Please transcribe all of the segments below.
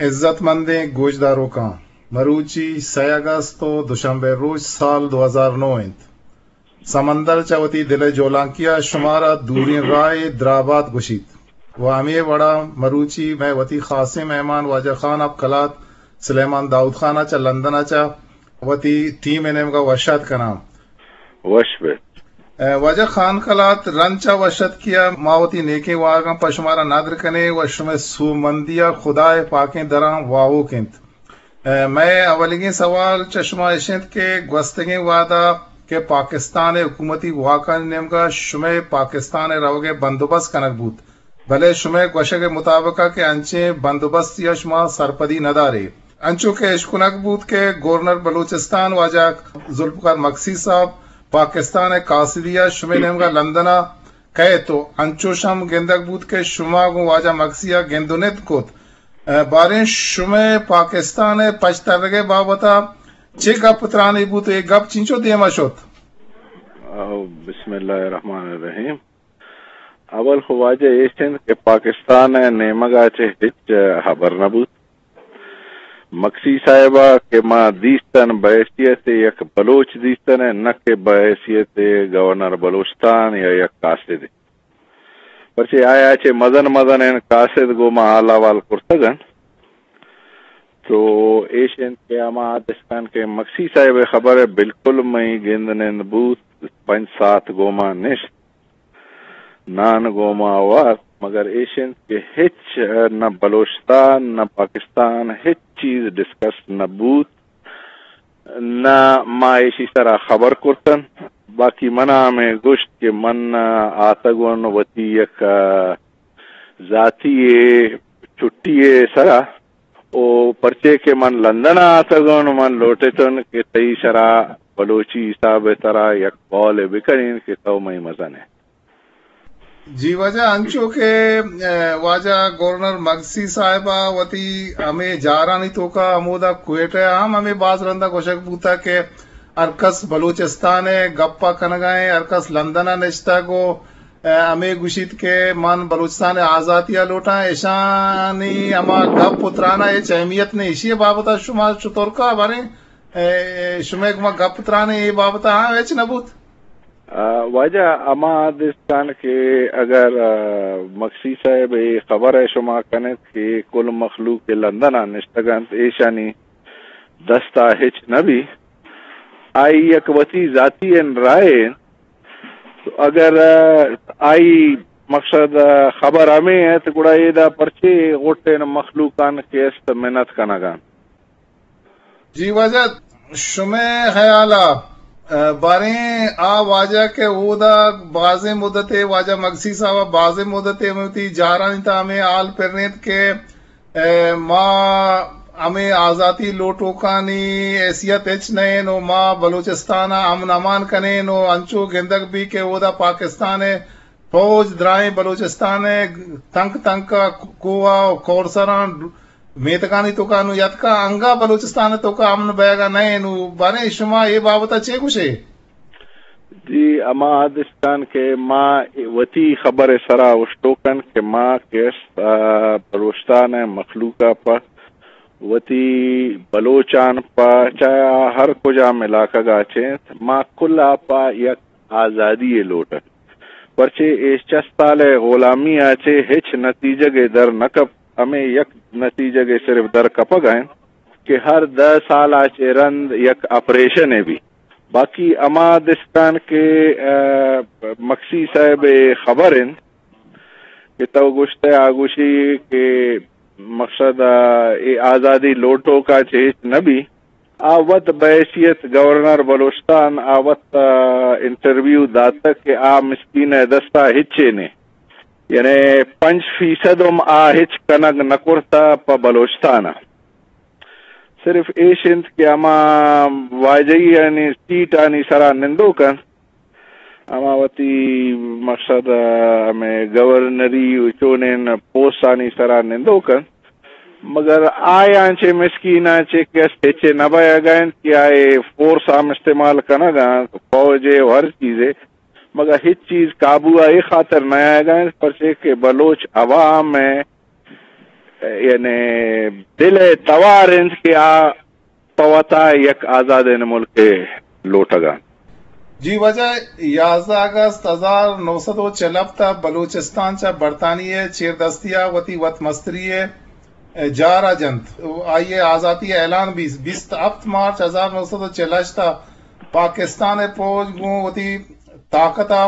عزت مندیں گوشداروکاں، مروچی سئے اگست ءُ دوشنبے روچ سال دو ہزار نو انت۔ سمندر چہ وتی دل ءِ جولانکی ءَ شمارا دوریں راہ ءِ درابات گوشیت ءُ ہمے وڑا مروچی مئے وتی خاصیں مہمان واجہ خان آف کلات سلیمان داؤد خان ءَ چہ لندن ءَ چہ وتی ٹیم ءِ نیمگ ءَ وش آتک کناں۔ وش بہ۔ اے، واجہ خان کلات، رند چہ وش اتکی ءَ ما وتی نیکیں واہگاں پہ شمارا ندر کنیں ءُ شمئے سوبمندی ءَ خدائے پاکیں دراں واہوک انت۔ اے، مئے اولیگیں سوال چہ شما اش انت کہ گوستگیں وہدا کہ پاکستان ءِ حکومتی واکانی نیمگ ءَ شمئے پاکستان ءِ روگ ءِ بندوبست کنگ بوت، بلے شمئے گوشگ ءِ مطابق ءَ کہ انچیں بندوبستی ءَ شما سرپدی نہ دارے۔ انچو کہ اشکنگ بوت کہ گورنر بلوچستان واجہ ذوالفقار مگسی صاحب پاکستان ءِ قاصدی ءَ شمئے نیمگ ءَ لندن ءَ کئیت ءُ انچوش ہم گندگ بوت کہ شما گوں واجہ مگسی ءَ گند ءُ ند کت۔ ءُ باریں شمئے پاکستان ءِ پشت ترگ ءِ بابت ءَ چے گپ ترانے بوت ءُ اے گپ چنچو دیم ءَ شت؟ آ، بسم اللہ الرحمن الرحیم۔ اول خو واجہ ایش انت کہ پاکستان ءِ نیمگ ءَ چہ ہچ ہبر نہ بوت۔ مگسی صاحب ءَ کہ ما دیستن بحیثیت یک بلوچ دیستن ءَ، نہ کہ بحیثیت گورنر بلوچستان یا یک قاصدے۔ پرچے آیا چہ مزن مزنیں قاصد گوں ما حال احوال کرتگ انت۔ تو ایش انت کہ ہما دستان کہ مگسی صاحب ءِ خبر ءَ بالکل مئی گند نند بوت، پنچ ساعت گوں ما نشت، نان گوں ما وارت، مگر ایش انت کہ ہچ نہ بلوچستان نہ پاکستان ہچ چیز ڈسکس نہ بوت، نہ ما ایشی سرا خبر کرتن۔ باقی منا ہمے گوشت کہ من آتگون وتی یک، آ، ذاتی چھٹی ءِ سرا، او پرچے کہ من لندن ءَ آتگون، من لوٹتون کہ تئی سرا بلوچی حساب ءِ ترا یک قول ءَ بکنین کہ تو مئی مزن ئے۔ جی واجہ، انچو کہ، اے، واجہ گورنر مگسی صاحب ءَ وتی ہمے جارانی توکا ہمودا کوئٹہ ءَ ہم ہمے باز رندا گوشگ بوتا کہ ہر کس بلوچستان ءِ گپ ءَ کنگا ایں، ہر کس لندن ءَ نشتگ ءُ، اے، ہمے گوشیت کہ من بلوچستان ءِ آزاتی ءَ لوٹاں۔ اشانی ہما گپ ءُ تران ءَ ہچ اہمیت نہ۔ ایشی ءِ بابت ءَ شما چطور کا باریں، اے، شمئے گما گپ تران ءَ اے بابت ءَ ہاں ہچ نہ بوت؟ آ، واجہ ہما دستان کہ اگر، آ، مگسی صاحب اے خبر ءَ شما کنت کہ کل مخلوق کہ لندن ءَ نشتگ انت، ایشانی دست ءَ ہچ نہ بی، آئی یک وتی ذاتی ان رائے انت۔ تو اگر، آ، آئی مقصد، آ، خبر ہمے انت، گڑا ایدا پرچے غٹین مخلوقان کہ است منت کنگان؟ جی واجہ، شمئے خیالا، آ، باریں آ واجہ کہ اودا بازیں مدتے، واجہ مگسی صاحب بازیں مدتے ہمے وتی جارانی تہا ہمے حال پرینت کہ اے، ما ہمے آزاتی لوٹوکانی حیثیت ہچ نہ ایں ءُ ما بلوچستان ءَ امن امان کنیں ءُ انچو گندگ بی کہ اودا پاکستان ءِ فوج درائیں بلوچستان ءِ تنک تنک ءَ کوہ ءُ کورسراں میتگانی توکا نوں یتکا، انگا بلوچستان ءِ توکا امن بئیگا نہ ایں۔ نوں باریں شما اے بابت ءَ چے گوشے؟ جی، ہما دستان کہ ما وتی خبر ءِ سرا اوشتوکن کہ ما کہ است، آ، بلوچستان ءِ مخلوق ءَ پہ وتی بلوچان پہ چاہے آ ہر کجام علاقہ گا چینت، ما کل ءَ پہ یک آزادی ءِ لوٹن۔ پرچے اے چست سال ءِ غلامی ءَ چہ ہچ نتیجگ ءَ در نہ کپ، ہمے یک نتیجگ ءَ صرف در کپگ ءَ انت کہ ہر دہ سال ءَ چہ رند یک آپریشن ءَ بی۔ باقی ہما دستان کہ، آ، مکسی صاحب ءِ خبر انت کہ تو گوشتہ آ گوشی کہ مقصد، آ، اے آزادی لوٹوکا چہ ہچ نہ بی۔ آ وت بحیثیت گورنر بلوچستان آ وت، آ، انٹرویو داتگ کہ آ مسکین ءِ دستا ہچے نے۔ یعنی پنچ فیصد ہم آ ہچ کنگ نہ کرتہ پہ بلوچستان ءَ۔ صرف ایش انت کہ ہما واجہی آنی سیٹ آنی سرا نندوک انت، ہما وتی مقصد ءَ ہمے گورنری و چونین پوسٹ آنی سرا نندوک انت، مگر آیاں چہ مسکیناں چہ کس ہچے نہ بئیگ ءَ انت کہ آئے فورس ہم استعمال کنگ ءَ انت، فوج ءَ و ہر چیزے، مگر ہچ چیز قابو ءَ اے خاطر نہ آیگ ءَ انت، پرچے کہ بلوچ عوام ءِ یعنی دل ءِ توار انت کہ آ پہ وتا یک آزادیں ملکے لوٹگ ءَ انت۔ جی واجہ، یازدہ اگست ہزار نو سد و چل ہفت ءَ بلوچستان چہ برطانیہ ءِ چیردستی ءَ وتی وت مستری ءِ جار ءَ جنت۔ آئی ءِ آزاتی ءِ اعلان بیت۔ بیست ہفت مارچ ہزار نو سد و چل ہشت ءَ پاکستان ءِ پوج گوں وتی طاقت ءَ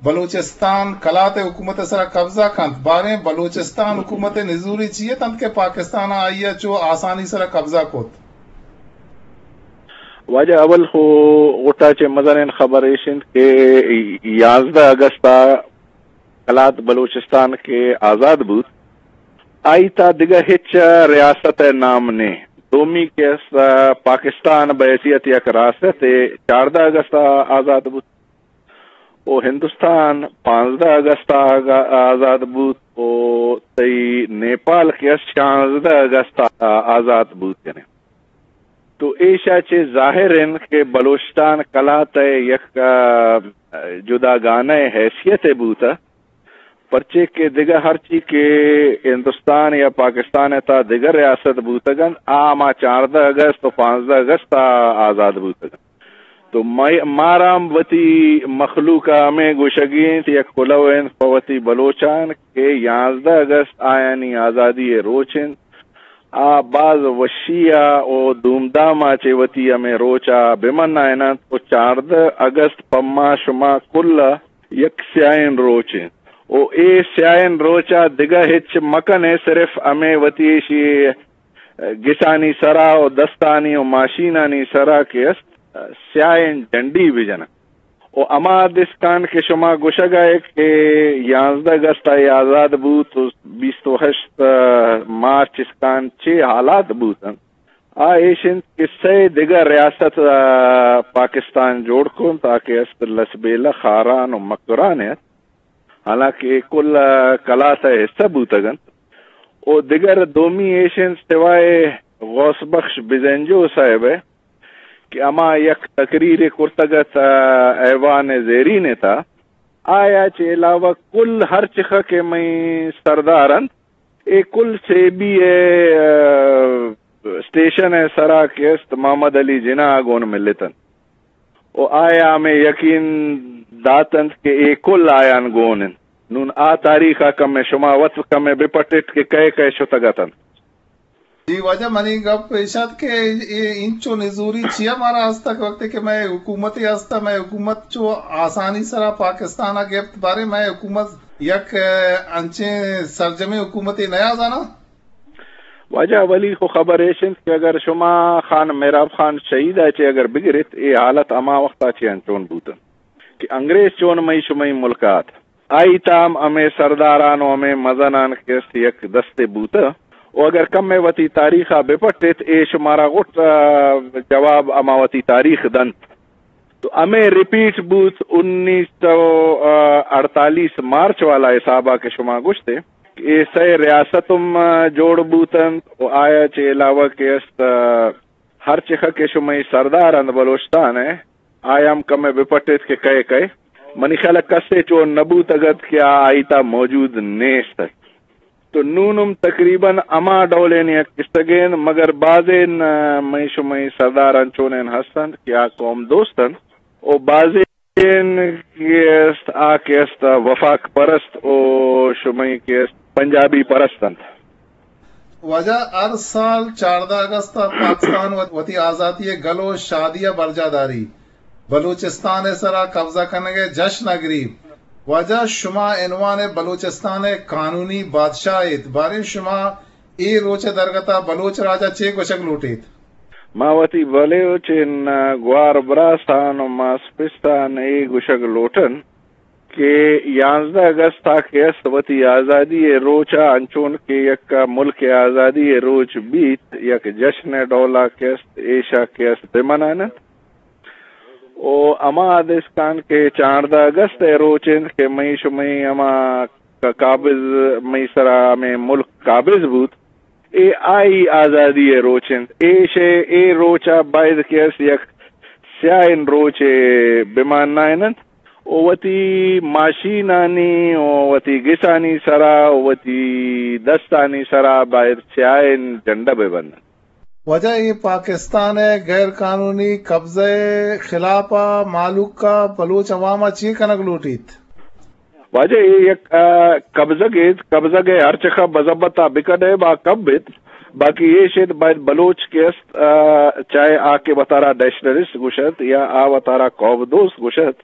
بلوچستان کلات ءِ حکومت ءِ سرا قبضہ کنت۔ باریں بلوچستان حکومت ءِ نزوری چی ات انت کہ پاکستان ءَ آئی ءَ چو آسانی سرا قبضہ کت؟ واجہ، اول خو غٹا چہ مزنیں خبر ایش انت کہ یازدہ اگست ءَ کلات بلوچستان کہ آزاد بوت، آئی تا دگہ ہچ ریاست ءِ نام نے۔ دومی کہ است، پاکستان بحیثیت یک ریاستے چاردہ اگست ءَ آزاد بوت۔ و ہندوستان پانزدہ اگست ءَ آگا-، آزاد بوت و تئی نیپال کہ است شانزدہ اگست ءَ آزاد بوت کنیں۔ تو ایشا چہ ظاہر انت کہ بلوچستان کلات ءِ یک، آ، جداگانہ حیثیت بوتہ، پرچے کہ دگہ ہرچی کہ ہندوستان یا پاکستان ءِ تا دگہ ریاست بوتگ انت، آ ہما چاردہ اگست و پانزدہ اگست ءَ آزاد بوتگ انت۔ تو مئے، مارا ہم وتی مخلوق ءَ ہمے گوشگی انت، یک کلوہ انت پہ وتی بلوچان کہ یازدہ اگست آیانی آزادی ءِ روچ انت۔ آ باز وشی ءَ و دومدام ءَ چہ وتی ہمے روچ ءَ بہ منائیننت و چاردہ اگست پہ ما شما کل ءَ یک سیاہیں روچ انت۔ و اے سیاہیں روچ ءَ دگہ ہچ مکن ئے، صرف ہمے وتی ایشی گسانی سرا و دستانی و ماشینانی سرا کہ است، سیاہیں جنڈی بجنن۔ و ہما دسکان کہ شما گوشگ ءَ ئے کہ یازدہ اگست ءَ آزاد بوت و بیست و ہشت مارچ اسکان چے حالات بوت انت، آ ایش انت کہ سئے دگہ ریاست ءَ پاکستان جوڑ کنت، آ کہ است لسبیلہ، خاران و مکران ات۔ حالانکہ اے کل کلات ءِ حصہ بوتگ انت۔ و دگر دومی ایش انت، سوائے غوث بخش بزنجو صاحب ءِ کہ ہما یک تقریرے کرتگ ات ایوان زیرین ءِ تہا، آیا چہ علاوہ کل ہر چخہ کہ مئے سردار انت، اے کل سیبی ءِ، آ، اسٹیشن ءِ سرا کہ است محمد علی جناح ءَ گون ملتنت و آیا ہمے یقین داتنت کہ اے کل آیان گون انت۔ نون آ تاریخ ءَ کمے شما وت کمے بہ پٹت کہ کئے کئے شتگ اتنت۔ جی واجہ، منی گپ ایش ات کہ اے انچو نزوری چیا مارا ہست کہ وقتے کہ مئے حکومتے ہست، مئے حکومت چو آسانی سرا پاکستان ءَ گپت، باریں مئے حکومت یک، آ، انچیں سرجمیں حکومتے نیا زاناں؟ واجہ، اولی خو خبر ایش انت کہ اگر شما خان مہراب خان شہید ءَ چہ اگر بگریت، اے حالت ہما وقت ءَ چہ انچون بوتنت کہ انگریز چون مئی شمئی ملک ءَ ات، آئی تام ہمے سرداران و ہمے مزنان کہ است یک دستے بوتہ و اگر کمے وتی تاریخ ءَ بہ پٹیت، اے شمارا غٹ، آ، جواب ہما وتی تاریخ دنت۔ تو ہمے ریپیٹ بوت انیس سو اڑتالیس مارچ والا حساب ءَ کہ شما گوشتے کہ اے سئے ریاست ہم، آ، جوڑ بوتنت و آیا چہ علاوہ کہ است، آ، ہر چخہ کہ شمئی سردار انت بلوچستان ءِ، آیا ہم کمے بہ پٹیت کہ کئے کئے۔ منی خیال ءَ کسے چون نہ بوتگ ات کہ آ آئی تہا موجود نیست ات۔ تو نون ہم تقریباً ہما ڈولیں یک کسگیں، مگر بازیں، آ، مئی شمئی سردار انچونیں ہست انت کہ آ قوم دوست انت و بازیں کہ است، آ کہ است وفاق پرست و شمئی کہ است پنجابی پرست انت۔ واجہ، ہر سال چاردہ اگست ءَ پاکستان وت-، وتی آزاتی ءِ گل و شادی ءَ برجاہ داری، بلوچستان ءِ سرا قبضہ کنگ ءِ جشن ءَ گریب۔ واجہ، شما عنوان ءَ بلوچستان ءِ قانونی بادشاہ ایت، باریں شما اے روچ ءِ درگت ءَ بلوچ راج ءَ چے گوشگ لوٹ ایت؟ ما وتی بلوچیں گوار براسان و ماس پستان اے گوشگ لوٹن کہ یانزدہ اگست ءَ کہ است وتی آزادی ءِ روچ ءَ انچون کہ یک ملک ءِ آزادی ءِ روچ بیت، یک جشن ءِ ڈول ءَ کہ است، ایشا کہ است بہ منائیننت۔ و ہما دسکان کہ چاردہ اگست ءِ روچ انت کہ مئی شمئی ہما ق-، قابض، مئی سرا ہمے ملک قابض بوت، اے آئی آزادی ءِ روچ انت۔ ایش ءَ اے روچ ءَ باید کہ است یک سیاہیں روچے بہ منائیننت و وتی ماشینانی و وتی گسانی سرا و وتی دستانی سرا باید سیاہیں جنڈہ بہ بندن۔ واجہ، اے پاکستان ءِ غیر قانونی قبضہ ءِ خلاف ءَ مھلوک ءَ، بلوچ عوام ءَ چے کنگ لوٹیت؟ واجہ، اے یک، آ، قبضگ ایت، قبضگ ءِ ہر چخا مذمت ءَ بکن ئے، با کم بیت، باقی ایش ایت باید بلوچ کہ است، آ، چاہے آ کہ وتارا نیشنلسٹ گوشت یا آ وتارا قوم دوست گوشت،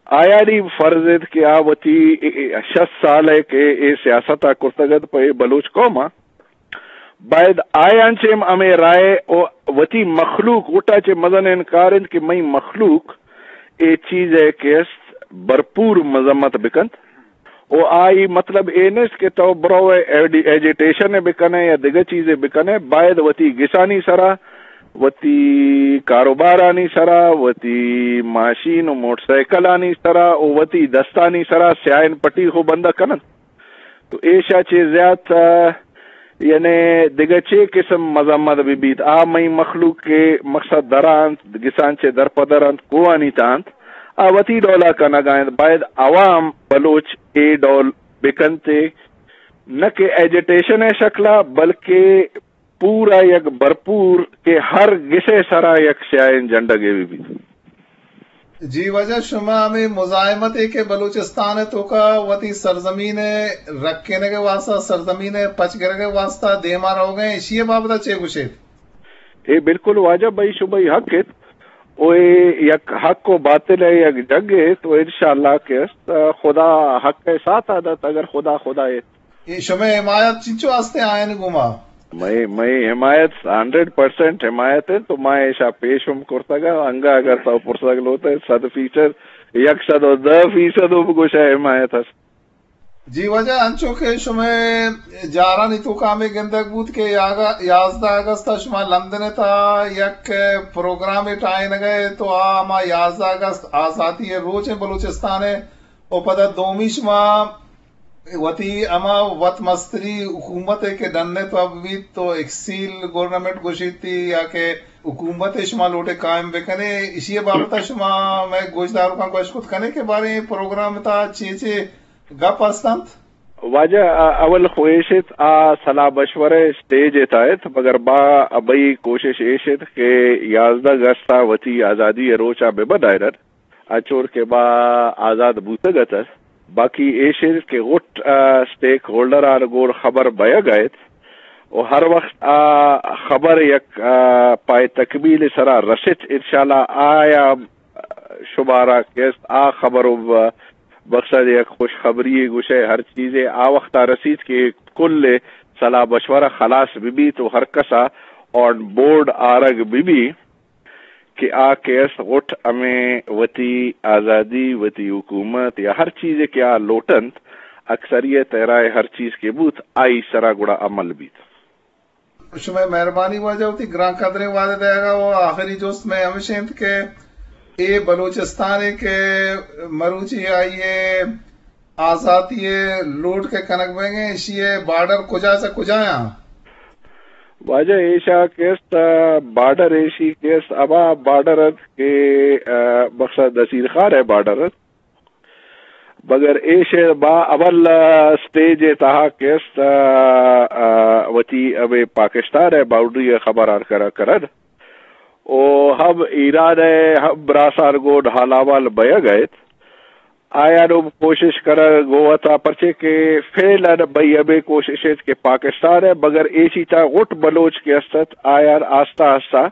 آیانی فرض ایت کہ آ وتی اے، اے شست سال ءَ کہ اے سیاست ءَ کرتگ ات پہ اے بلوچ قوم ءَ، باید آیان چہ ہم ہمے رائے و وتی مخلوق غٹ ءَ چہ مزن انکار انت کہ مئی مخلوق اے چیز ءَ کہ است بھرپور مذمت بکنت۔ و آئی مطلب اے نیست کہ تو برو ایڈی-، ایجیٹیشن ءَ بکنے یا دگہ چیزے بکنے، باید وتی گسانی سرا، وتی کاروبارانی سرا، وتی ماشین و موٹر سائیکلانی سرا و وتی دستانی سرا سیاہیں پٹی خو بندہ کننت۔ تو ایشا چہ زیات، آ، یعنی دگہ چے قسم مذمت بہ بیت؟ آ مئی مخلوق کہ مقصد درانت، گسان چہ درپدر انت، کوہانی تہا انت، آ وتی ڈولا کنگا انت۔ باید عوام بلوچ اے ڈول بکنت، نہ کہ ایجیٹیشن ءِ شکلا، بلکہ پورا یک بھرپور کہ ہر گسے سرا یک سیاہیں جنڈگے بہ بیت۔ جی واجہ، شما ہمے مزاحمت ءَ کہ بلوچستان ءِ توکا وتی سرزمین ءِ رکینگ ءِ واسطہ، سرزمین ءِ پچ گرگ ءِ واسطہ دیما روگ ءَ، ایشی ءِ بابت ءَ چے گوشیت؟ اے بالکل واجہ، بھئی شمئی حق ایت، و اے یک حق و باطل ءِ یک جنگ ایت، و انشاءاللہ کہ است، خدا حق ءِ ساتھ ءَ دات، اگر خدا خدا ایت۔ اے شمئے حمایت چنچو ہستیں آیانی گوما؟ مئے، مئے حمایت، ہنڈریڈ پرسینٹ حمایت انت، تو ما ایشا پیش ہم کرتگ ءَ، انگا اگر تو پرسگ لوٹ ئے، صد فیصد، یک سد و دہ فیصد ہم گوشئے حمایت ہست۔ جی واجہ، انچو کہ شمئے جارانی توکا ہمے گندگ بوت کہ یاگا-، یازدہ اگست ءَ شما لندن ءِ تہا یک پروگرامے ٹاہینگ ءَ ات، تو آ ہما یازدہ اگست آزاتی ءِ روچ انت بلوچستان ءِ، و پدا دومی شما وتی ہما وت مستری حکومت ءَ کہ ڈن ءِ تو اب بیت تو ایکسیل گورنمنٹ گوشیتی یا کہ حکومت ءَ شما لوٹے قائم بکنے، ایشی ءِ بابت ءَ شما مئے گوشداروکاں گوشت کت کنے کہ باریں اے پروگرام ءِ تہا چے چے گپ ہست انت؟ واجہ، آ، اول خو ایش ایت، آ صلاح مشورہ ءِ سٹیج ءِ تہا ات، مگر ما، مئی کوشش ایش ات کہ یازدہ اگست ءَ وتی آزادی ءِ روچ ءَ بہ منائینن۔ انچور کہ ما آزاد بوتگ اتس، باقی ایش انت کہ غٹ، آ، سٹیک ہولڈران گون خبر بئیگ ءَ ات و ہر وخت آ خبر یک، آ، پائے تکمیل سرا رست، انشاءاللہ آیا شمارا کہ است آ خبر و مقصد یک خوشخبری گوشئے ہر چیزے آ وختا رسیت کہ کل صلاح مشورہ خلاص بہ بیت و ہر کسا آن بورڈ آرگ بہ بیت۔ کہ آ کہ است غٹ ہمے وتی آزادی، وتی حکومت یا ہر چیزے کہ آ لوٹنت، اکثریت ءِ رائے ہر چیز کہ بوت، آئی سرا گڑا عمل بیت۔ شمئے مہربانی واجہ، وتی گران قدریں وہد ءِ دئیگا و آخری جست مئے ہمیش انت کہ اے بلوچستان ءِ کہ مروچی آئی ءِ آزاتی ءِ لوٹ کہ کنگ بئیگ ءَ، ایشی ءِ بارڈر کجا چہ کجا آں؟ واجہ ایشا کہ است، آ، بارڈر ایشی کہ است، ہما بارڈر ات کہ، آ، مقصد نصیر خان ءِ بارڈر ات۔ مگر ایش با اول، آ، سٹیج ءِ تہا کہ است، آ، آ، وتی ہمے پاکستان ءِ باؤنڈری ءِ خبر آر کر-، کرد۔ و ہم ایران ءِ ہم براسان گون حال احوال بئیگ ءَ ات۔ آیان ہم کوشش کنگ گون ات، پرچے کہ فعلاً بئی ہمے کوشش ات کہ پاکستان ءِ، مگر ایشی تہا غٹ بلوچ کہ است ات، آیان آستہ آستہ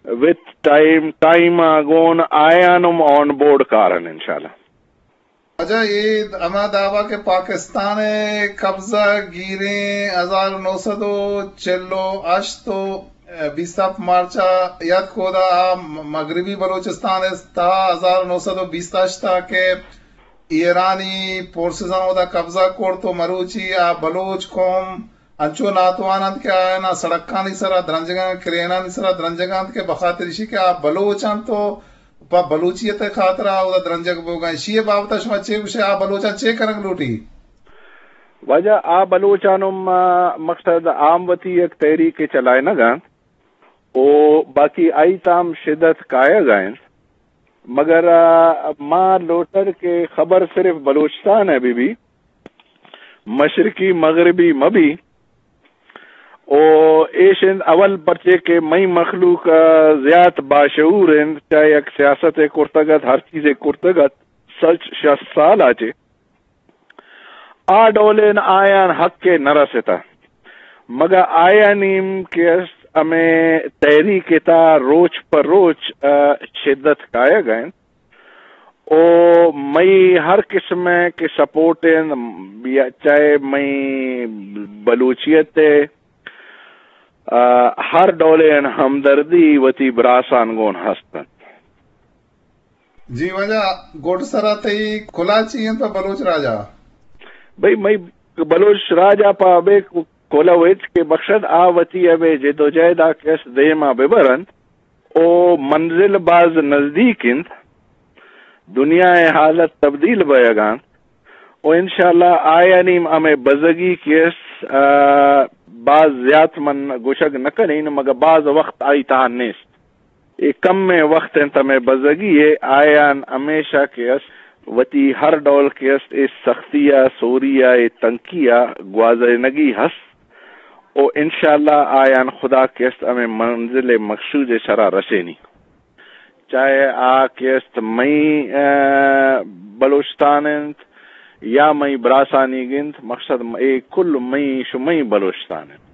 وتھ ٹائم، ٹائم ءَ گون آیان ہم آن بورڈ کارن انشاءاللہ۔ واجہ، اے ہما دعویٰ کہ پاکستان ءِ قبضہ گیریں ہزار نو سد و چل و ہشت و بیست ہفت مارچ ءَ یات کودا آ مغربی بلوچستان ءِ تہا ہزار نو سد و بیست ہشت ءَ کہ ایرانی فورسزاں اودا قبضہ کرت و مروچی آ بلوچ قوم انچو ناتوان انت کہ آیانا سڑکانی سرا درنجگاں، کرینانی سرا درنجگاں انت کہ بخاطر ایشی کہ آ بلوچ انت و پہ بلوچیت ءِ خاطرا اودا درنجگ بوگا انت۔ ایشی ءِ بابتا شما چے گوشے؟ آ بلوچاں چے کنگ لوٹی؟ واجہ، آ بلوچان ہم، آ، مقصد آ ہم وتی یک تحریک چلائینگ انت و باقی آئی تام شدت کایگ ءَ انت۔ مگر، آ، ما لوٹر کہ خبر صرف بلوچستان ءِ بہ بی، مشرقی مغربی مہ بی۔ او ایش انت اول پرچے کہ مئی مخلوق، آ، زیات باشعور انت، چاہے یک سیاست ءِ کرتگ ات، ہر چیزے کرتگ ات، سچ شست سال ءَ چہ آ ڈولیں آیان حق ءَ نہ رستہ، مگہ آیانی ہم کہ است ہمے تحریک ءِ تہا روچ پہ روچ، آ، شدت کایگ ءَ انت۔ او مئی ہر قسم ءِ کہ سپورٹ انت، یا چاہے مئی بلوچیت ءِ، آ، ہر ڈولیں ہمدردی وتی براسان گون ہست انت۔ جی واجہ، گڈ سرا تئی کلہ چی انت پہ بلوچ راج ءَ؟ بھئی، مئی بلوچ راج ءَ پہ ہمے کلہ و اچ کہ بخشد آ وتی ہمے جدوجہد ءَ کہ است دیما ببرنت۔ او منزل باز نزدیک انت، دنیا ءِ حالت تبدیل بئیگ ءَ انت، و انشاءاللہ آیانی ہمے بزگی کہ است، آ، باز زیات من گوشگ نہ کنین، مگہ باز وقت آئی تہا نیست۔ اے کمیں وخت انت ہمے بزگی ءِ، آیان ہمیشہ کہ است وتی ہر ڈول کہ است اے سختی ءَ، سوری ءَ، اے تنکی ءَ گوازینگی ہست و انشاءاللہ آیان خدا کہ است ہمے منزل مقصود ءِ سرا رسینی۔ چاہے آ کہ است مئی، آ، بلوچستان انت یا مئی براسانیگ انت، مقصد م-، اے کل مئی شمئی بلوچستان انت۔